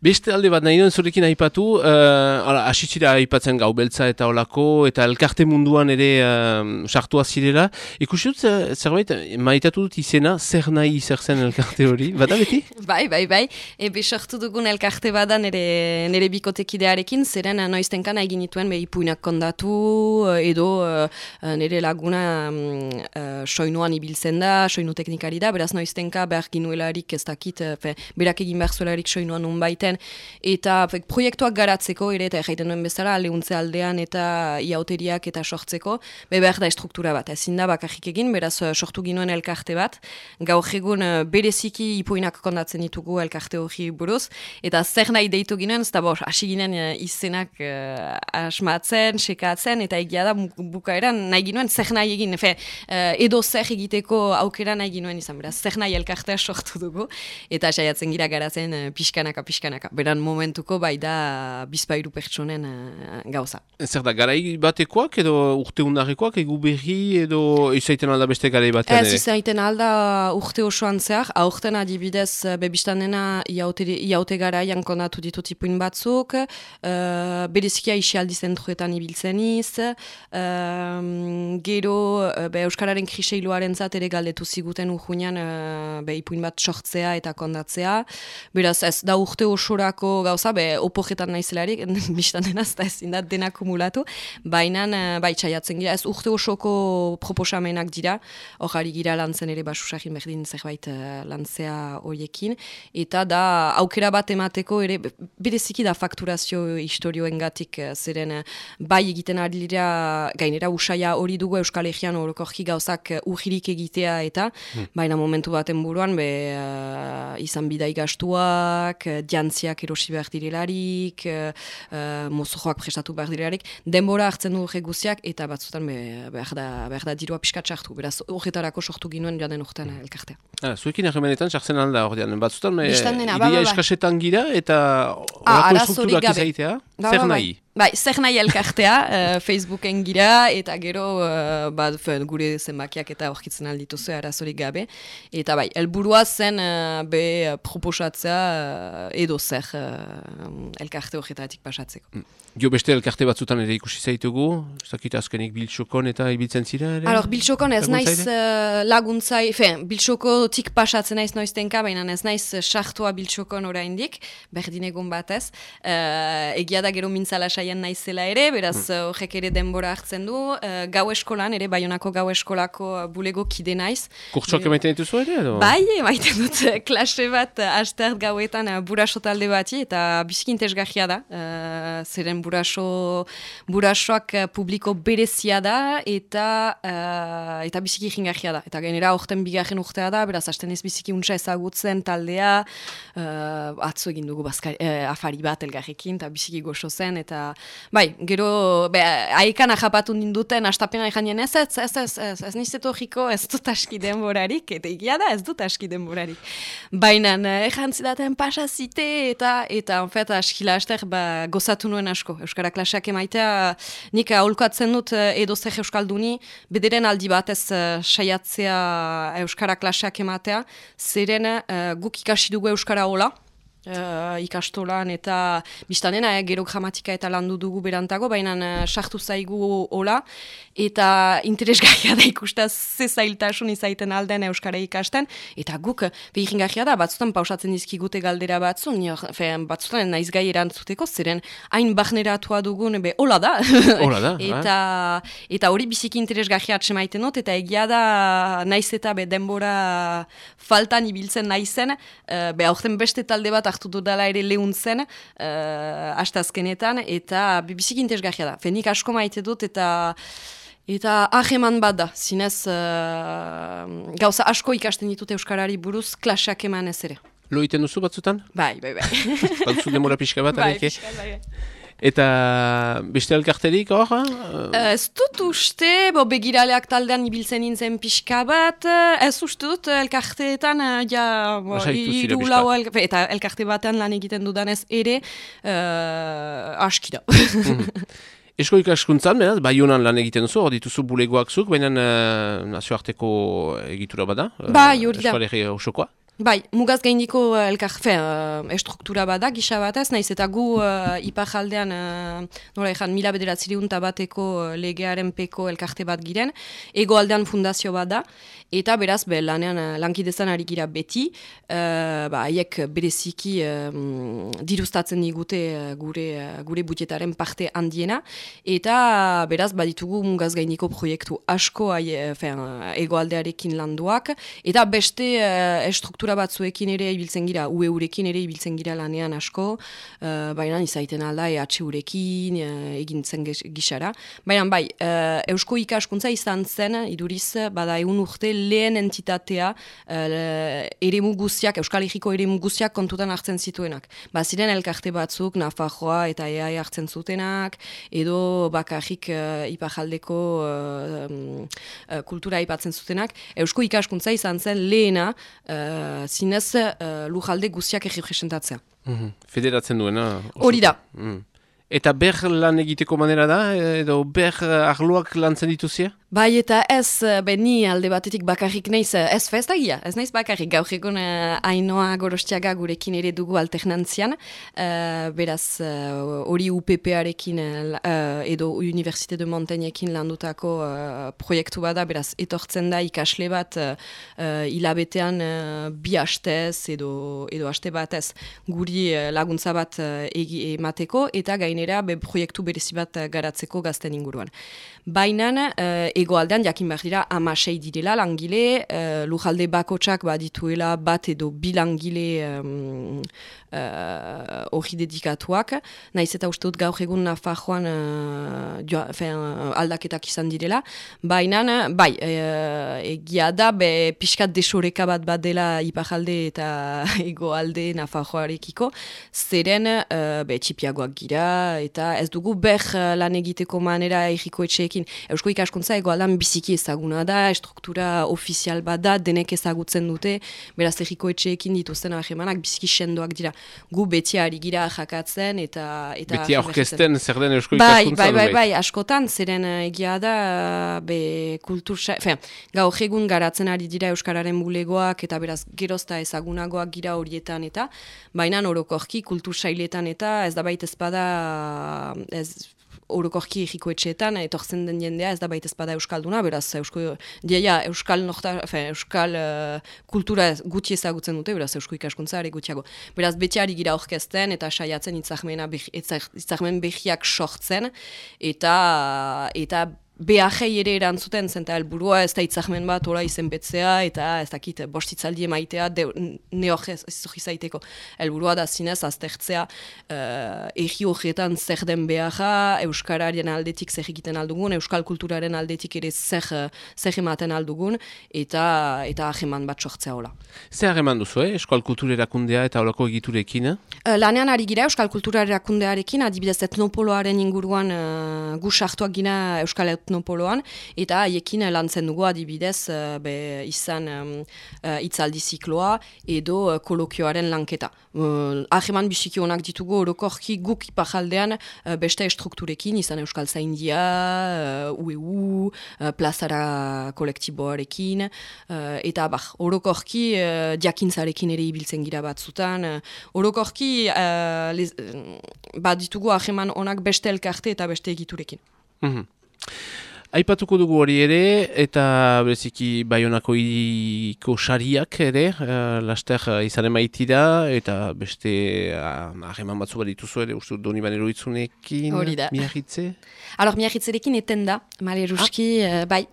Beste alde bat nahi duen zurekin aipatu, asitzira aipatzen gau beltza eta olako, eta elkarte munduan ere sartua zirela. Ikusi dut zerbait, maitatu dut izena, zer nahi zer zen elkarte hori, bada beti? Bai. Ebe sortu dugun elkarte bada nire bikotekidearekin, zeren noiztenkan egin nituen ipuinak kondatu, edo nire laguna soinuan ibiltzen da, soinu teknikari da, beraz noiztenka behar ginuelarik ez dakit, berak egin behar zuelarik soinuan nun baiten, eta proiektuak garatzeko, ere eta erraiten duen bezala, aleuntze aldean eta iauteriak eta sortzeko, behar da estruktura bat, ezin da bakarrik egin, beraz sortu ginuen elkarte bat, gaur egun bereziki ipuinak kondatzen ditugu elkarte hori buruz, eta zer nahi deitu ginen, ez da hasi ginen izenak asmatzen, sekatzen, eta egia da bukaeran nahi ginuen zer nahi egin, edo zer egiteko aukera nahi ginuen izan, beraz, zer nahi elkartea sortu dugu, eta saiatzen gira garatzen pixkanaka. Beran momentuko bai da bizpairu pertsonen gauza. Zer da, garai batekoak edo urte undarrekoak, egu berri edo izaiten alda beste garai batean ere? Ez izaiten alda urte osoan zehar, aurten adibidez bebistan dena iaute garaian kondatu ditut ipuin batzuk, berezikia isialdi zentruetan ibiltzen iz, gero Euskararen kriseiloaren zat ere galdetu ziguten urhunean ipuin bat sortzea eta kondatzea, beraz ez da urte osorako gauza, opojetan naizelarik, bistan denaz, da ezin da dena kumulatu, baina txaiatzen gira, ez urte osoko proposamenak dira, hori gira lantzen ere basusakin berdin zerbait lantzea horiekin, eta da aukera bat emateko ere, bereziki da fakturazio historioengatik zeren bai egiten ari dira, gainera usaia hori dugu Euskal Herrian orokorki gauzak urririk egitea eta, baina momentu baten buruan, izan bidai gastuak, jantziak erosi behar direlarik, mozojoak prestatu behar direlarik, denbora hartzen du guziak eta batzutan behar da dirua pixkat sartu, beraz horretarako sortu ginuen jaden urtean elkartea. Zuekin erremenetan sartzen alda ordean, batzutan ideia eskasetan gira eta horako estrukturak izaitea, zer nahi? Bai, zer nahi elkartea, Facebooken gira, eta gero gure zenbakiak eta aurkitzen aldituzu arazorik gabe. Eta bai, helburua zen proposatzea edo zer elkarte horretatik pasatzeko. Jo beste elkarte batzutan ere ikusi zaitugu, ez dakit azkenik Biltxokon eta ibiltzen zira ere? Biltxokon ez naiz laguntzai, Biltxokotik pasatzen naiz noiztenka, baina ez naiz sartua Biltxokon oraindik, berdin egun batez. Egia da gero mintzala saian naizela ere, beraz horrek ere denbora hartzen du. Gau eskolan, ere Baionako gau eskolako bulego kide naiz. Kurtsoak emaiten dituzu ere? Bai, emaiten dut klase bat astert gauetan buraso talde bati, eta biziki interesgarria da. Zeren burasoak publiko berezia da, eta biziki jingarria da. Eta genera horten bigarren urtea da, beraz hasten ez biziki untsa ezagutzen taldea, atzo egin dugu afari bat elgarrekin, eta biziki goxo zen, eta bai, gero, aekan ajapatu ninduten, astapena eganien ez nizetu horiko, ez dut aski denborarik, eta egia da ez dut aski denborarik. Baina, egantzidaten pasazite, eta onfet, askila aster, gozatu nuen asko. Euskara klaseak emaitea, nik aholkatzen dut edo zer euskalduni, bederen aldi batez saiatzea Euskara klaseak ematea, zeren guk ikasi dugu Euskara hola, ikastolan eta biztanena gero gramatika eta landu dugu berantago, baina sartu zaigu hola, eta interesgarria da ikustaz ze zailtasun izaiten alden Euskara ikasten, eta guk behiringarria da, batzutan pausatzen dizkigute galdera batzutan naiz gai erantzuteko, zeren hain barneratua dugun, hola da, eta hori biziki interesgarria atsemaiten dut, eta egia da naiz eta denbora faltan ibiltzen naizen, aurten beste talde bat hartu dudala ere lehuntzen astazkenetan, eta biziki interesgarria da. Nik asko maite dut, eta aheman bat da, zinez gauza asko ikasten ditut Euskarari buruz klaseak eman ez ere. Lo iten duzu batzutan? Bai. Batzu demora pixka bat? Bai, pixka, bai. Eta beste elkarterik hor? Ez dut uste, begiraleak taldean ibiltzen nintzen pixka bat, ez uste dut elkarteetan, eta elkarte batean lan egiten dudanez ere, aski da. Esko ikaskuntzan, beraz, Baionan lan egiten duzu, hor dituzu bulegoak zuk, baina nazioarteko egitura bada? Bai, hori da. Euskal Herri osokoa? Bai, mugaz gaindiko estruktura bada, gisa batez, naiz eta gu iparjaldean, nola ezan, 1900 bateko legearen peko elkarte bat giren, hegoaldean fundazio bat da, eta beraz, lanean lankidezan ari gira beti, haiek bereziki dirustatzen digute gure budjetaren parte handiena, eta beraz, baditugu mugaz gaindiko proiektu asko hegoaldearekin landuak, eta beste estruktura batzuekin ere ibiltzen gira, UE-urekin ere ibiltzen gira lanean asko, baina izaiten alda EH-urekin egintzen gisara. Baina bai, Eusko ikaskuntza izan zen, iduriz, bada egun urte lehen entitatea eremu guziak, Euskal Herriko eremu guziak kontutan hartzen zituenak. Ziren elkarte batzuk, Nafarroa eta EAE hartzen zutenak, edo bakarrik ipajaldeko kultura aipatzen zutenak. Eusko ikaskuntza izan zen lehena, zinez lujalde guztiak errepresentatzea. Federatzen duena? Hori da. Eta ber lan egiteko manera da, edo ber arloak lantzen dituzia? Bai eta ez, ni alde batetik bakarrik naiz, ez festagia, ez naiz bakarrik, gaur egun Ainoa Gorostiaga gurekin ere dugu alternantzian, beraz hori UPP-arekin edo Université de Montaigne-ekin landutako proiektu bada, beraz etortzen da ikasle bat hilabetean bi hastez edo haste batez guri laguntza bat emateko eta gainera proiektu berezi bat garatzeko gazten inguruan. Baina hegoaldean jakin behar dira 16 direla langile, lujalde bakotsak badituela bat edo bi langile hori dedikatuak, naiz eta uste dut gaur egun Nafarroan aldaketak izan direla, baina bai, egia da pixkat desoreka bat dela iparalde eta hegoalde Nafarroarekiko, zeren txipiagoak gira, eta ez dugu lan egiteko manera erriko etxeekin. Eusko ikaskuntza hegoaldean biziki ezaguna da, estruktura ofizial bat da, denek ezagutzen dute, beraz erriko etxeekin dituzten ahemanak biziki sendoak dira. Gu beti ari gira jakatzen eta beti aurkezten zer den Eusko ikaskuntza? Bai, askotan, zeren egia da gaur egun garatzen ari dira Euskararen bulegoak eta beraz gerozta ezagunagoak gira horietan eta baina orokorki kultur sailetan eta ez da baita ezpada orokorki erriko etxeetan, etortzen den jendea, ez da baita ezpada Euskalduna, beraz, Euskal kultura guti ezagutzen dute, beraz, Eusko ikaskuntza ere gutiago. Beraz, beti ari gira orkesten, eta saiatzen itzarmen behiak sortzen, eta behajei ere erantzuten, zenta helburua ez da itzarmen bat ola izen betzea, eta ez dakit bostitzaldi emaitea neok ez zaiteko. Helburua da zinez aztertzea erri horretan zer den behaja, Euskararen aldetik zer egiten aldugun, Euskal kulturaren aldetik ere zer ematen aldugun, eta aheman bat sortzea hola. Zer aheman duzu, Euskal kultura erakundea eta holako egiturekin? Lanean ari gira Euskal kultura erakundearekin, adibidez etnopoloaren inguruan gu sartuak gina Euskal etnopoloan, eta haiekin lantzen dugu adibidez izan hitzaldi zikloa edo kolokioaren lanketa. Aheman biziki honak ditugu orokorki guk iparjaldean beste estrukturekin, izan Euskal Zaindia, UEU, plazara kolektiboarekin, eta orokorki diakintzarekin ere ibiltzen gira batzutan. Orokorki bat ditugu aheman honak beste elkarte eta beste egiturekin. Aipatuko dugu hori ere, eta bereziki Baionako hiriko sariak ere, laster izan emaitira, eta beste hageman batzu bat dituzu ere, uste dut Donibane Loitzunekin, Miarritze? Miarritzerekin eten da, maleruski, bai,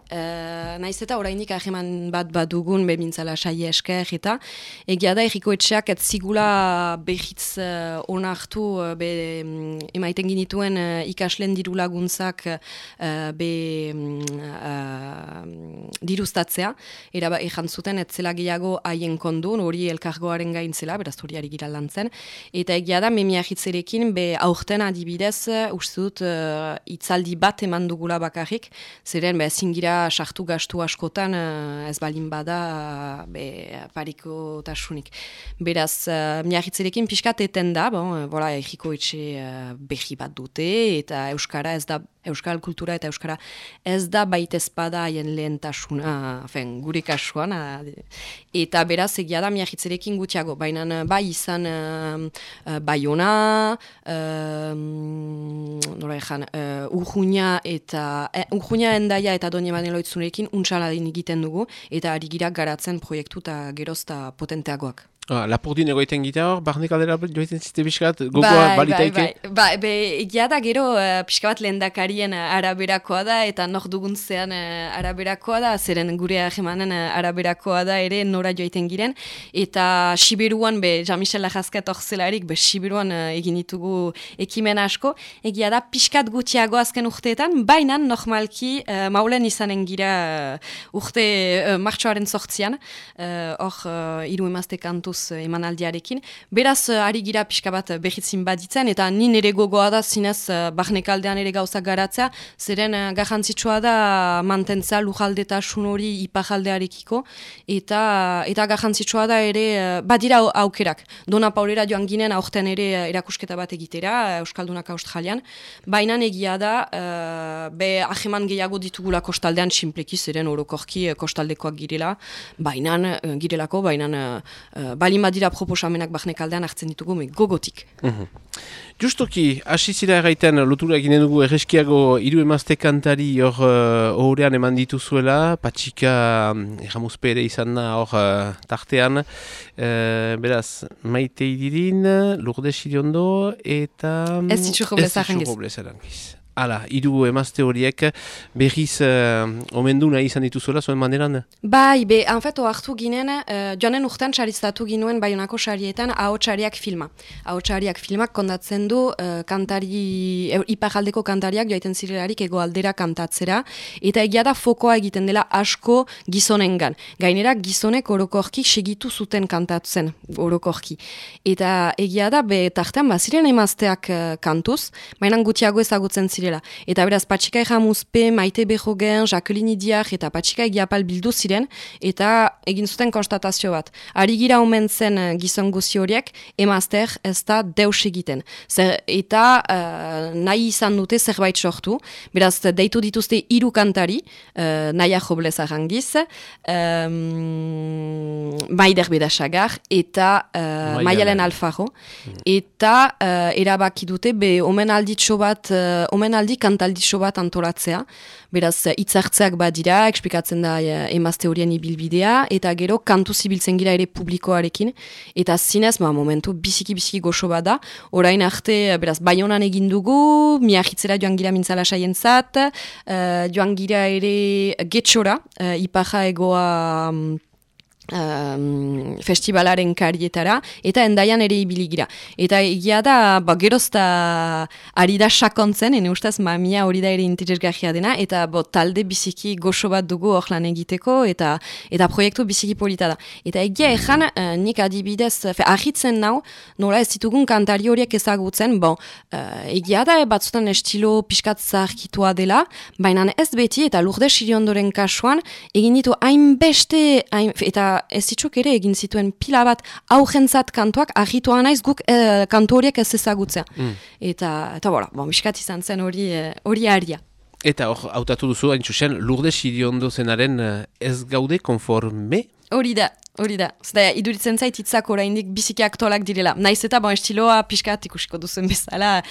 naiz eta orainik hageman bat dugun, bemintzala saie esker, eta egia da erriko etxeak ez zigula behitz onartu emaiten ginituen ikaslen diru laguntzak dirustatzea, ejan zuten etzela gehiago haien kondun, hori elkargoaren gaintzela, beraz hori ari gira lantzen, eta egia da Miarritzerekin aurten adibidez, uste dut hitzaldi bat eman dugula bakarrik, zeren zingira sartu gastu askotan ez balin bada pariko tasunik. Beraz, Miarritzerekin pixkat eten da, erriko etxe behi bat dute, eta Euskara ez da Euskal kultura eta euskara ez da baitezpada haien lehentasuna, gure kasuan, eta beraz egia da miahitzerekin gutxiago, baina bai izan Baiona, Urjuina Endaia eta Doña Maneloitzunekin untsaladin egiten dugu, eta ari gira garatzen proiektu eta gerozta potenteagoak. Lapurdin egoiten gita hor, barne kaldera joiten ziste pixkat, gogoa balitaike? Egia da gero pixka bat lehendakarien araberakoa da, eta nor duguntzean araberakoa da, zeren gure ahemanen araberakoa da ere nora joiten giren, eta Siberuan, Jean-Michel Lajazket orzelarik, Siberuan egin ditugu ekimen asko, egia da pixkat gutxiago azken urteetan, baina normalki maulen izanen gira urte martxoaren 8an, hor 3 emazte kantu emanaldiarekin. Beraz, ari gira pixka bat behitzin baditzen, eta nin ere gogoa da zinez barnekaldean ere gauzak garatzea, zeren garrantzitsua da mantentza lujaldetasun hori ipajaldearekiko, eta garrantzitsua da ere, badira aukerak. Dona Paulera joan ginen aurten ere erakusketa bat egitera, Euskaldunak Australian, baina egia da, aheman gehiago ditugula kostaldean sinpleki, zeren orokorki kostaldekoak girela, girelako, balin badira proposamenak barnekaldean hartzen ditugu, gogotik. Justoki, hasi zira erraiten lotura eginen dugu erreskiago 3 emazte kantari hor horrean eman dituzuela, Patxika Erramuzpe ere izan da hor tartean, beraz, Maite Idirin, Lourdes Iriondo eta... Ez ditxurro Blezarangiz. Hala, 3 emazte horiek berriz omendu nahi izan dituzuela zuen maneran? Bai, hartu ginen, joanen urtean sariztatu ginuen Baionako sarietan ahotsariak filma. Ahotsariak filmak kondatzen du iparjaldeko kantariak joaiten zirelarik egoaldera kantatzera, eta egia da fokoa egiten dela asko gizonengan. Gainera gizonek orokorki segitu zuten kantatzen orokorki. Eta egia da, tartean baziren emazteak kantuz, mainan gutxiago ezagutzen ziren. Eta beraz, Patxika Erramuzpe, Maite Bejogen, Jacqueline Idiar eta Patxika Egiapal bildu ziren, eta egin zuten konstatazio bat. Ari gira omen zen gizon guzi horiek, emazter ez da deus egiten. Eta nahi izan dute zerbait sortu, beraz, deitu dituzte 3 kantari, Naia Joblez Arrangiz, Maider Bedasagar eta Maialen Alfaro, eta erabaki dute, omenaldi kantalditxo bat antolatzea, beraz hitzartzeak badira, explikatzen da emazte horien ibilbidea, eta gero kantu zibiltzen gira ere publikoarekin, eta zinez, momentu biziki goxo bat da, orain arte, beraz, Baionan egin dugu, miahitzera joan gira mintzala saientzat, joan gira ere Getxora, Ipaja Egoa festivalaren karietara, eta Endaian ere ibili gira. Eta egia da, gerozta ari da sakontzen, ene ustaz mamia hori da ere interesgarria dena, eta talde biziki goxo bat dugu hor lan egiteko, eta proiektu biziki polita da. Eta egia ezan, nik adibidez, ahitzen nau, nola ez ditugun kantari horiek ezagutzen, egia da, batzutan estilo pixkat zaharkitua dela, baina ez beti, eta Lourdes Iriondoren kasuan, egin ditu hainbeste, eta ez ditzuk ere egin zituen pila bat aurrentzat kantuak, ahitoa naiz guk kantu horiek ez ezagutzea. Eta miskat izan zen hori aria. Eta hor, hautatu duzu, hain txusen, Lourdes Iriondo zenaren ez gaude konforme? Hori da. Zeda, iduritzen zait hitzak oraindik biziki aktualak direla. Naiz eta estiloa pixkat ikusiko duzen bezala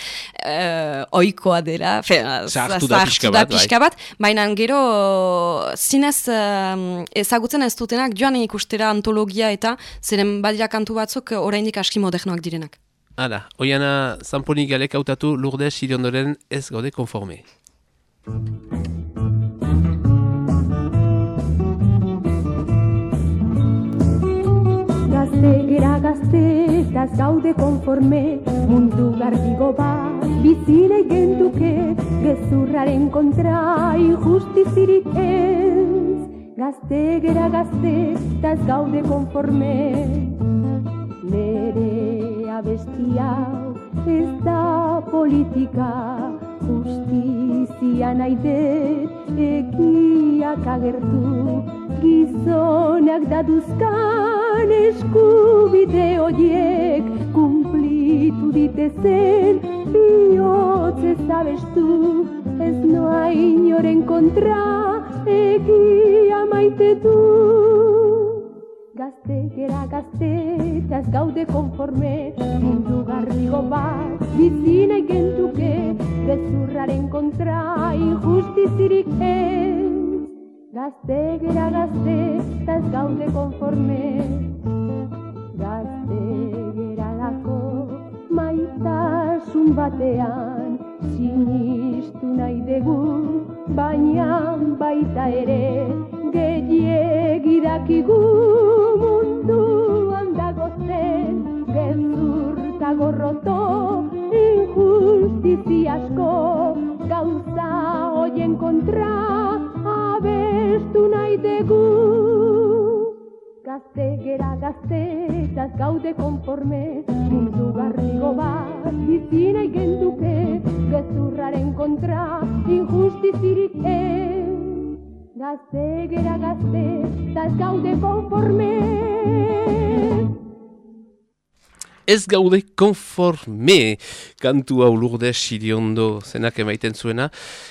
oikoa dela. Zahartu da pixka bat. Baina gero zinez ezagutzen ez dutenak joan ikustera antologia eta zeren badira kantu batzuk oraindik aski modernoak direnak. Hala, Oiana Zamponik galek hautatu Lourdes Iriondoren ez gaude konforme. Gaztegera gaztetaz gaude konforme, mundu garbigo bat bizile genduke, gezurraren kontra injustizirik ez. Gaztegera gaztetaz gaude konforme, nere abestia ez da politika, justizia nahi dut egiak agertu, gizonak daduzkan eskubide horiek kumplitu deitu ditezen, bihotz ez abestu, ez noa inoren kontra, egia maite du. Gazte gera gazte, eta ez gaude konforme, mundu garrigo bat, bizi nahi gentuke, gezurraren kontra, injustizirik ez. Gazte gera gazte, eta ez gaude konforme, gazte gera lako, maitasun batean, sinistu nahi dugu, baina baita ere, gehiegi dakigu munduan dagozen, gezur eta gorroto, injustizi asko, gauza hoien kontra, abestu nahi dugu. Gazte gera gazte, eta ez gaude konforme, mundu garrigo bat, bizi nahi gentuke, gezurraren kontra, injustizirik ez. Gazte gera gazte, eta ez gaude konforme. Ez gaude konforme, kantu hau Lourdes Iriondo zenak emaiten zuena.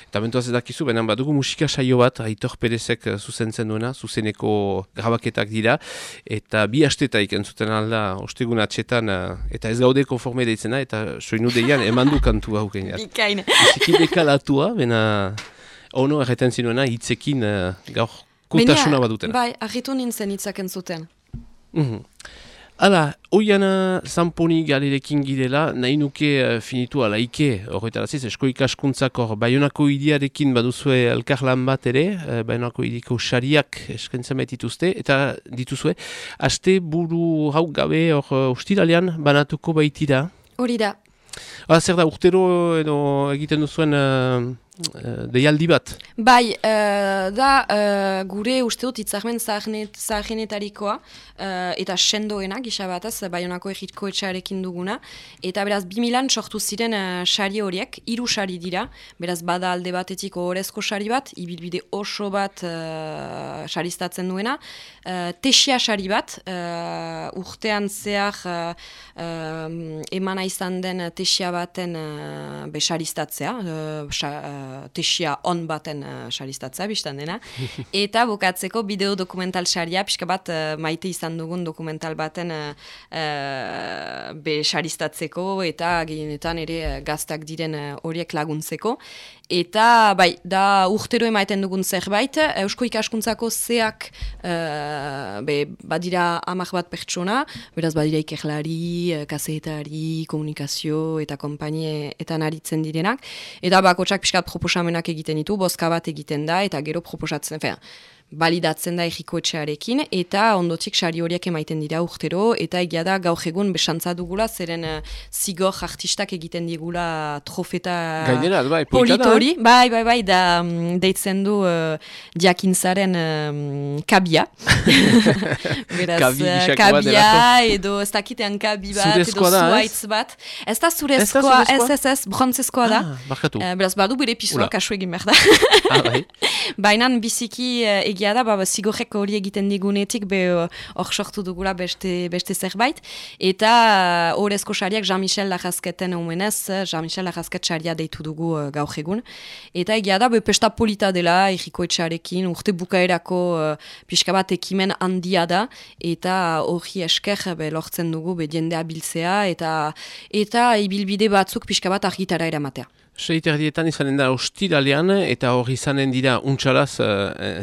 Eta mentuaz edakizu, benen badugu musika saio bat, Aitor Perezek zuzentzen duena, zuzeneko grabaketak dira. Eta bi astetaik entzuten alda, ostegun atxetan, eta ez gaude konforme deitzena, eta soinu deian emandu kantu hau geniat. Bikain. Iziki dekalatua, bena ono erreten zinuena, hitzekin gaur kotasuna badutena. Bai, argitu nintzen hitzak entzuten. Hala, oiana Zamponi galerekin girela, nahi nuke finitu alaike, horretaraziz, esko ikaskuntzak hor, Baionako hiriarekin baduzue elkarlan bat ere, Baionako hiriko sariak eskentzen dituzte, eta dituzue, aste buru hau gabe hor ustiralean banatuko baitira. Hori da. Zer da, urtero edo egiten duzuen deialdi bat? Bai, da gure uste dut itzarmen zaharrenetarikoa eta sendoena gisa bataz, Baionako egitko etxearekin duguna, eta beraz 2000an sortu ziren sari horiek, 3 sari dira, beraz bada alde batetik ohorezko sari bat, ibilbide oso bat saristatzen duena, tesia sari bat, urtean zehar emana izan den tesia baten besaristatzea, tesia on baten saristatzea, biztan dena, eta bukatzeko bideo dokumental saria, pixka bat maite izan dugun dokumental baten besaristatzeko, eta gehienetan ere gaztak diren horiek laguntzeko. Eta bai, da urtero emaiten dugun zerbait, Eusko Ikaskuntzako zeak badira 10 bat pertsona, beraz badira ikerlari, kazetari, komunikazio eta konpainie eta aritzen direnak, eta bakotsak pixkat proposamenak egiten ditu, bozka bat egiten da, eta gero proposatzen, balidatzen da egiko etxearekin, eta ondotik sari horiek emaiten dira urtero, eta egia da gaur egun besantza dugula, zeren zigor artistak egiten digula trofeta politori. Bai, da deitzen du diakintzaren kabia. Beraz, kabia, edo ez dakitean kabi bat, edo zuaitz bat. Ez da zurezkoa, ez, brontzezkoa da. Beraz, badu bere pisua, kasu egin behar da. Bainan biziki egia da, zigorrek hori egiten digunetik, hor sortu dugula beste zerbait, eta horrezko sariak Jean-Michel Larrazketen omenez, Jean-Michel Larrazket saria deitu dugu gaur egun, eta egia da, pesta polita dela, egiko etxarekin, urte bukaerako pixka bat ekimen handia da, eta hori esker lortzen dugu jendea biltzea, eta ibilbide batzuk pixka bat argitara eramatea. 6:00 izanen da ostiralean, eta hori izanen dira untxalaz,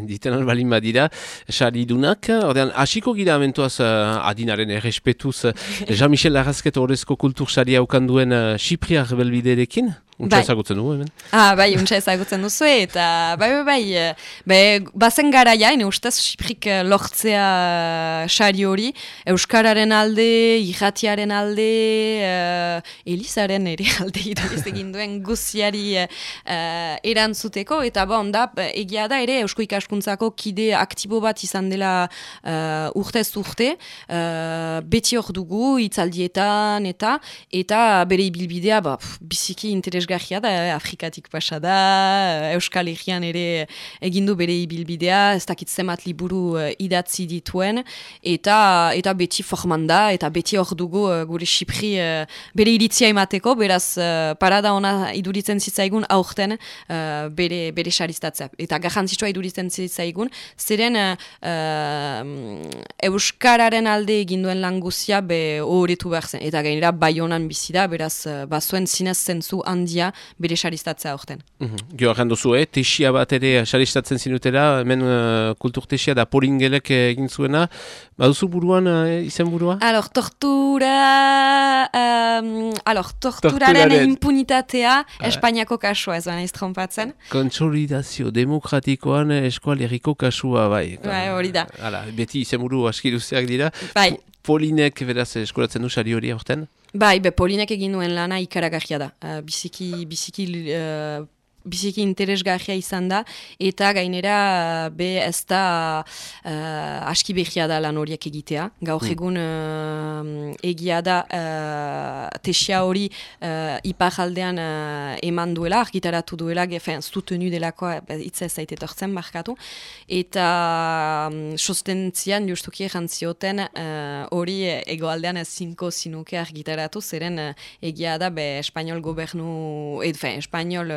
diten albalin badira, saridunak. Ordean, hasiko gira amentuaz adinaren errespetuz Jean-Michel Larrazket horrezko kultur saria ukanduen Xipriar belbiderekin. Untxa ezagutzen dugu, hemen? Bai, untxa ezagutzen duzu, eta bazen garaia, ustez Xiprik lortzea sari hori, Euskararen alde, irratiaren alde, Elizaren ere alde irabiz egin duen guziari erantzuteko, eta egia da ere Eusko Ikaskuntzako kide aktibo bat izan dela urtez urte, beti hor dugu, hitzaldietan, eta bere ibilbidea biziki interes interesgarria da, Afrikatik pasa da, Euskal Herrian ere egindu bere ibilbidea, ez dakit zenbat liburu idatzi dituen, eta beti forman da, eta beti hor dugu gure Xipri bere iritzia emateko, beraz parada ona iduritzen zitzaigun aurten bere saristatzea. Eta garrantzitsua iduritzen zitzaigun, zeren Euskararen alde eginduen lan guzia horretu behar zen. Eta gainera Baionan bizi da, beraz bazuen zinez zentzu handia bere saristatzea aurten. Gio duzu, tesia bat ere saristatzen zinutela, hemen kulturtesia da Polingelek egin zuena, baduzu buruan izen burua? Torturaren impunitatea Espainiako kasua, ez baina iztrompatzen. Konsolidazio demokratikoan Eskual Herriko kasua, bai. Hori da. Beti izen buru aski luzeak dira. Bai. Polinek beraz eskolatzen du sari hori aurten? Bai, Polinek egin duen lana ikaragarria da. Biziki interesgarria izan da, eta gainera ez da aski behia da lan horiek egitea. Gaur egun egia da tesia hori iparaldean eman duela, argitaratu duela, zutenu delakoa hitza ez zaite tortzen markatu, eta sostentzian justuki errantzioten hori egoaldean ezinko zinuke argitaratu, zeren egia da Espainol gobernu, Espainol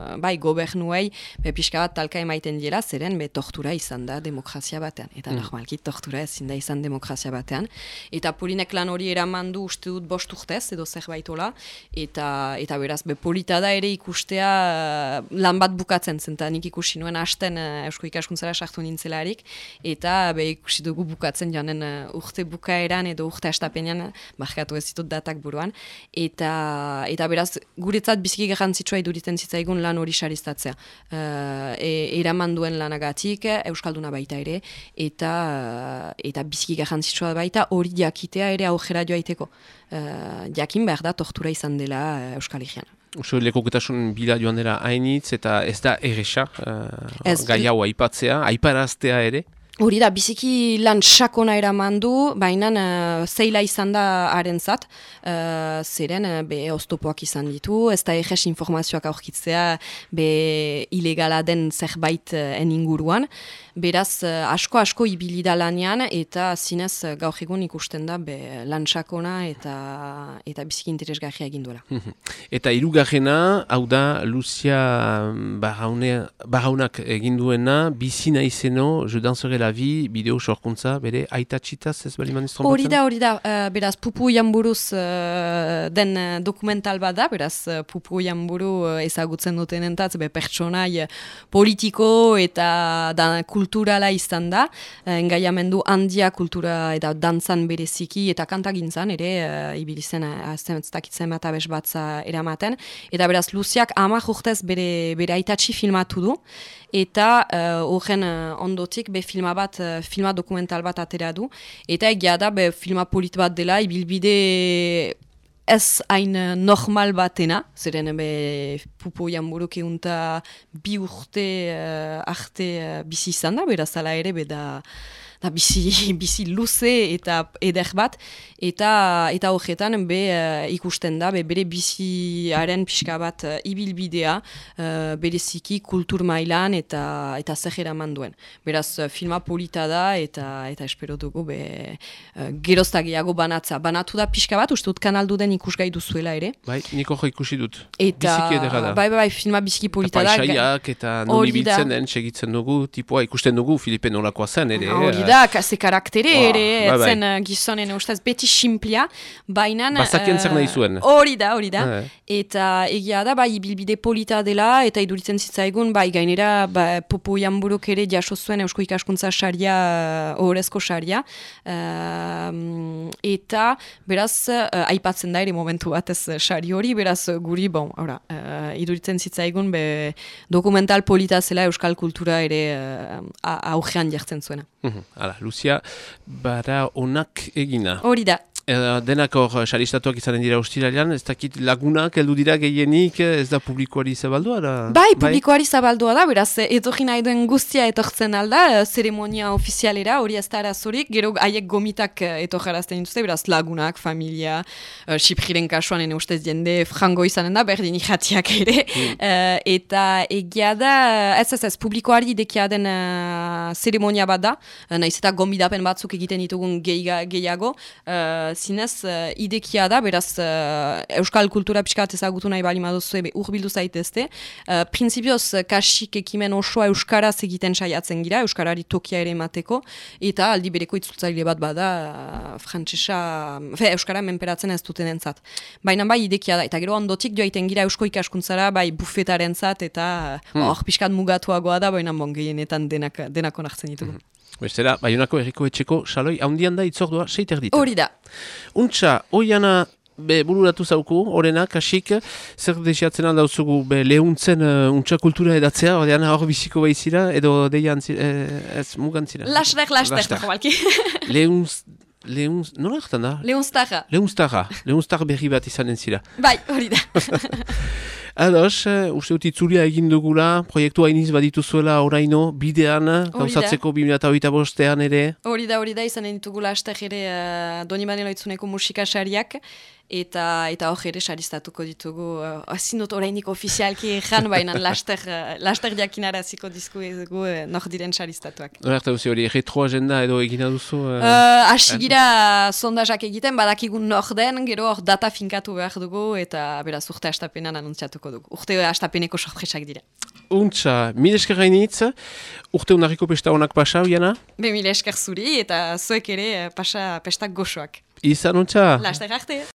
gobernuei pixka bat talka emaiten dira, zeren tortura izan da demokrazia batean. Eta normalki tortura ezin da izan demokrazia batean. Eta Polinek lan hori eraman du uste dut 5 urtez edo zerbaitola. Eta beraz, polita da ere ikustea lan bat bukatzen zen. Nik ikusi nuen hasten Eusko Ikaskuntzara sartu nintzelarik. Eta ikusi dugu bukatzen janen urte bukaeran edo urte astapenean, markatu ez ditut datak buruan. Eta beraz, guretzat biziki garrantzitsua iduritzen zitzaigun lan hori saristatzea. Eraman duen lanagatik, Euskalduna baita ere, eta biziki garrantzitsua baita hori jakitea ere aurrera joaiteko. Jakin behar da tortura izan dela Euskal Herrian. Uso lekoketasun bila joan dela hainitz, eta ez da erresa, gai hau aipatzea, aiparaztea ere? Hori da, biziki lan sakona eraman du, baina zeila izan da harentzat, zeren oztopoak izan ditu, ez da egez informazioak aurkitzea ilegala den zerbait inguruan. Beraz, asko ibili da lanean, eta zinez gaur egun ikusten da lan sakona eta biziki interesgarria egin duela. Eta hirugarrena, hau da, Lucia Barraunak egin duena, bizina izeno, Je danserai la vie, bideo sorkuntza, bere aitatxitaz ez baliman iztrompatzen? Hori da, beraz, Pupu Ianburuz den dokumental bat da, beraz, Pupu Ianburu ezagutzen dutenentatz, pertsonai politiko eta kulturala izan da, engaiamendu handia kultura eta dantzan bereziki eta kantagintzan ere, ibilizen aztekitzen bat abes batza eramaten, eta beraz, Luziak 10 urtez bere aitatxi filmatu du, eta horren ondotik filma dokumental bat atera du, eta egia da filma polit bat dela, ibilbide ez hain normal batena, zeren Pupu Ianburuk eunta 2 urte arte bizi izan da, beraz ala ere bizi luze eta eder bat, eta horretan ikusten da, bere biziaren pixka bat ibilbidea, bereziki kultur mailan eta zer eraman duen. Beraz, filma polita da, eta espero dugu geroztagiago banatza. Banatu da pixka bat, uste dut kanaldu den ikusgai duzuela ere. Bai, niko ikusi dut. Biziki edera da. Bai, filma biziki polita da. Paisaiak eta non ibiltzen den, segitzen dugu, tipua ikusten dugu, Filipe nolakoa zen ere. Hori da, ze karaktere ere, etzen gizonen ustez beti simplia, baina... Bazakien zer nahi zuen. Hori da. Eta egia da, ibilbide polita dela, eta iduritzen zitzaigun, gainera, Pupu Ianburuk ere jaso zuen Eusko Ikaskuntza saria, ohorezko saria, eta beraz, aipatzen da ere momentu batez sari hori, beraz guri, iduritzen zitzaigun, dokumental polita zela Euskal kultura ere augean jartzen zuena. Hala, Lucia, bara onak egina. Hori da. Denak hor saristatuak izanen dira ostiralean, ez dakit lagunak heldu dira gehienik, ez da publikoari zabaldua? Bai, publikoari zabaldua da, beraz, etorri nahi duen guztia etortzen alda, zeremonia ofizialera, hori ez da arazorik, gero haiek gomitak etorjarazten dituzte, beraz, lagunak, familia, Sipriren kasuan, ene ustez jende frango izanen da, berdin ikatiak ere, eta egia da, ez, publikoari idekia den zeremonia bat da, nahiz eta gombidapen batzuk egiten ditugun gehiago, zinez idekia da, beraz euskal kultura pixka bat ezagutu nahi bali maduzu urbildu zaitezte. Printzipioz kasik ekimen osoa euskaraz egiten saiatzen gira, euskarari tokia ere emateko, eta aldi bereko itzultzaile bat bada euskara menperatzen ez duten entzat. Baina bai idekia da, eta gero ondotik joaiten gira eusko ikaskuntzara, bai bufetaren zat, eta hor pixkat mugatuagoa da, baina gehienetan denak onartzen ditugu. Bestela, Baionako Herriko Etxeko saloi haundian da itzordua 6:30. Hori da. Untxa, oiana bururatu zauku, horrena, kasik, zer desiatzen aldauzugu lehuntzen untxa kultura edatzea, hor biziko behizira, edo deian ez mugantzira? Laster, jobalki. Nola hartan da? Leunztarra berri bat izanen zira. Bai, hori da. Ados, uste dut itzulia egin dugula, proiektua iniz badituzuela oraino, bidean, gauzatzeko 2025 ere. Hori da, izanen ditugula hastek ere Doni Maneloitzuneko musikasariak, eta hor ere saristatuko ditugu, ezin dut orainik ofizialki jan, baina laster jakinaraziko dizkuegu nor diren saristatuak. Hora hartu hori, retro agenda edo egina duzu? Asigira sondazak egiten, badakigun nor den, gero hor data finkatu behar dugu, eta beraz urte hastapenan anuntziatuko dugu. Urte hastapeneko sorpresak dira. Untxa, mil esker gainitz, urte unarriko pesta honak pasa, Oiana? Mil esker zuri, eta zuek ere pesta goxoak. Izan untxa? Laster arte!